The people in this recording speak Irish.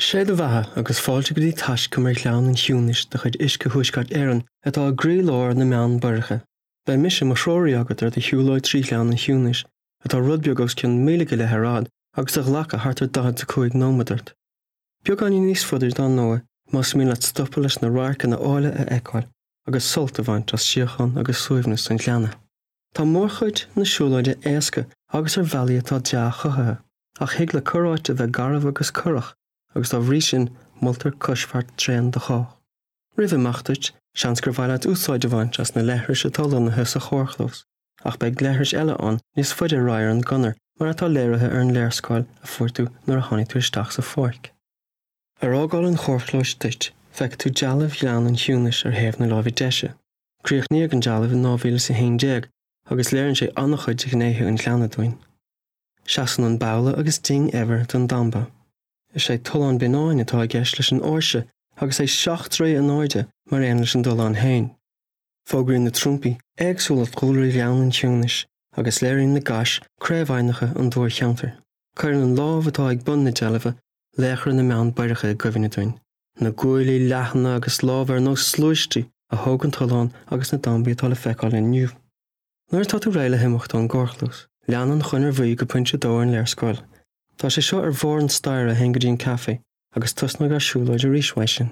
Sé do bheatha agus fáilte go dtí taiscumar Ghleann an Chiúnais de chuid Uisce Thuaisceart Éireann atá i gcroílár na mBeann Boireacha. Beidh mise i mo threoraí agat ar do shiúlóid trí Ghleann an Chiúnais, atá rud beag os cionn míle go leith ar fhad agus a ghlacfaidh thart ar 45 nóiméad ort. Beagáinín níos faide dar ndóigh más mian leat stopadh leis na radharcanna áille a fheiceáil agus sult a bhaint as síocháin agus suaimhneas an ghleanna. Tá mórchuid na siúlóide éasca agus ar bhealaí atá dea-chothaithe. Ach thig le corráit a bheith garbh agus corrach agus dá bhrí sin moltar coisbheart tréan do chách. Roimh imeacht duit, seans gur mhaith leat úsáid a bhaint as na leithris atá lonnaithe sa charrchlós, ach beidh leithris eile ann níos faide ar aghaidh ar an gconair mar atá léirithe ar an léarscáil a fuair tú nuair a tháinig tú isteach sa pháirc. Ar fhágáil an charrchlóis duit, feicfidh tú dealbh Ghleann an Chiúnais ar thaobh na láimhe deise. Críochnaíodh an dealbh in 2011 agus léiríonn sé an-chuid de ghnéithe an ghleanna dúinn. Seasann an babhla agus ding eibhir don damba. Is é Tollán Bionnáin atá i gceist leis an áirse agus é 7 dtroigh in airde mar aon leis an dtollán féin. Fógraíonn na trumpaí éagsúlacht dhúlra Ghleann an Chiúnais agus léiríonn na gais craobh-aibhneacha an dobharcheantair. Cuireann an lámh atá ag bun na deilbhe laochra na mBeann Boireacha i gcuimhne dúinn, na guaillí leathana agus lámha ar nós sluaistí a thóg an tollán agus na dambaí atá le feiceáil inniu. Nuair atá tú réidh le himeacht ón gcarrchlós, lean an chonair bhuí go pointe 2 ar an léarscáil. Tá sé seo ar bharr an staighre a théann go dtí an caife agus tosnóidh ár siúlóid arís uaidh sin.